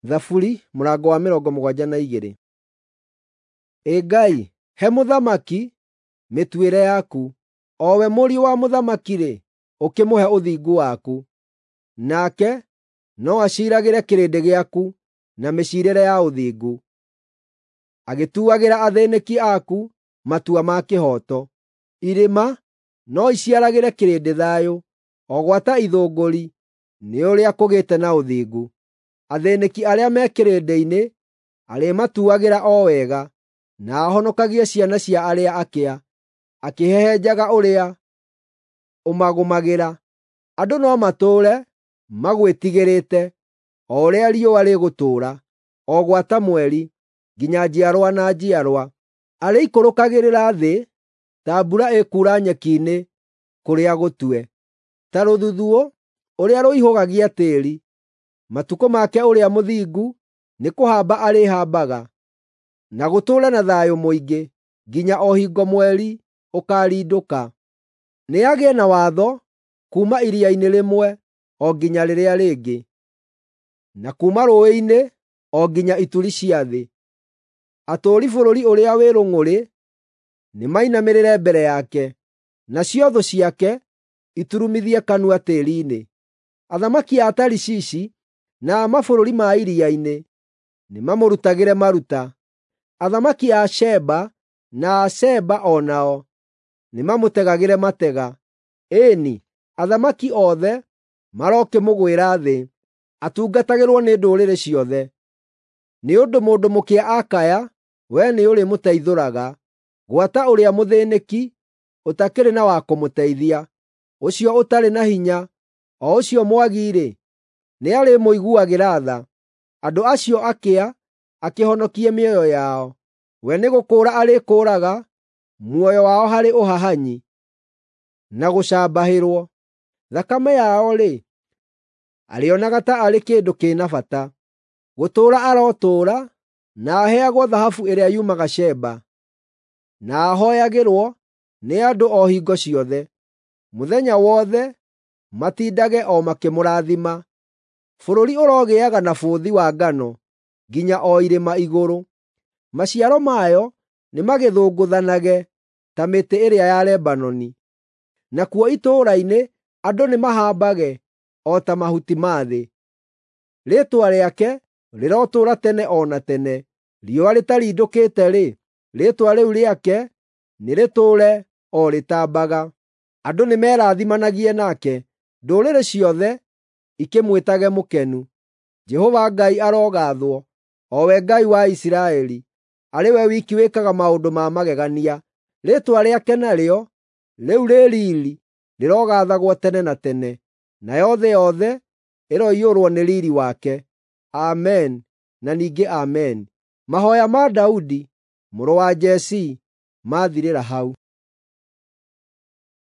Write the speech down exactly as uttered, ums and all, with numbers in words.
Thaburi mũrango wa mĩrongo mũgwanja na igĩrĩ. Ĩ Ngai, he mũthamaki mĩtuĩre yaku, o we mũriũ wa mũthamaki-rĩ, ũkĩmũhe ũthingu waku. Nake no aciiragĩre kĩrĩndĩ gĩaku na mĩciirĩre ya ũthingu, agĩtuagĩra athĩĩnĩki aku matua ma kĩhooto. Irĩma no iciaragĩre kĩrĩndĩ thayũ, o gwata ithũngũri nĩ ũrĩa kũgĩte na ũthingu. Athĩĩnĩki arĩa me kĩrĩndĩ-inĩ arĩmatuagĩra o wega, na ahonokagie ciana cia arĩa akĩa, akĩhehenjaga ũrĩa ũmagũmagĩra. Andũ no matũũre magwĩtigĩrĩte o ũrĩa riũa rĩgũtũũra, o gwata mweri, nginya njiarwa na njiarwa. Arĩikũrũkagĩrĩra thĩ ta mbura ĩkuura nyeki-inĩ kũrĩa gũtue, ta rũthuthuũ ũrĩa rũihũgagia tĩĩri. Matukũ make ũrĩa mũthingu nĩkũhamba arĩhambaga, na gũtũũre na thayũ mũingĩ, nginya o hingo mweri ũkaarindũka. Nĩagĩe na watho kuuma iria-inĩ rĩmwe o nginya rĩrĩa rĩngĩ, na kuuma rũũĩ-inĩ o nginya ituri cia thĩ. Atũũri bũrũri ũrĩa wĩ rũng'ũrĩ nĩmainamĩrĩre mbere yake, nacio thũ ciake iturumithie kanua tĩĩri-inĩ. Athamaki a Tarishishi na a mabũrũri ma iria-inĩ nĩmamũrutagĩre maruta. Athamaki a Sheba na a Seba o nao nĩmamũtegagĩre matega. Ĩĩ-ni, athamaki othe marokĩmũgwĩra thĩ, atungatagĩrwo nĩ ndũrĩrĩ ciothe. Nĩ ũndũ mũndũ mũkĩa akaya, wee nĩũrĩmũteithũraga, gwata ũrĩa mũthĩĩnĩki ũtakĩrĩ na wa kũmũteithia. Ũcio ũtarĩ na hinya, o ũcio mwagi-rĩ, nĩarĩmũiguagĩra tha. Andũ acio akĩa akĩhonokie mĩoyo yao. We nĩgũkũũra arĩkũũraga muoyo wao harĩ ũhahanyi na gũcambahĩrwo. Thakame yao-rĩ, arĩonaga ta arĩ kĩndũ kĩna bata. Gũtũũra arotũũra na aheagwo thahabu ĩrĩa yumaga Sheba, na ahooyagĩrwo nĩ andũ o hingo ciothe. Mũthenya wothe matindage o makĩmũrathima. Bũrũri ũrogĩaga na bũthi wa ngano nginya o irĩma igũrũ. Maciaro mayo nĩmagĩthũngũthanage ta mĩtĩ ĩrĩa ya Lebanoni. Nakuo itũũra-inĩ andũ nĩmahambage o ta mahuti ma thĩ. Rĩĩtwa rĩake rĩrotũũra tene o na tene. Riũa rĩtarindũkĩte-rĩ, rĩĩtwa rĩu rĩake nĩrĩtũũre o rĩtambaga. Andũ nĩmerathimanagie nake, ndũrĩrĩ ciothe ikĩmwĩtage mũkenu. Jehova Ngai arogathwo, o we Ngai wa Isiraeli, arĩ we wiki wĩkaga maũndũ ma magegania. Rĩĩtwa rĩake narĩo, rĩu rĩ riiri, rĩrogathagwo tene na tene, nayo thĩ yothe ĩroiyũrwo nĩ riiri wake. Amen na ningĩ Amen. Mahooya ma Daudi mũrũ wa Jesii maathirĩra hau.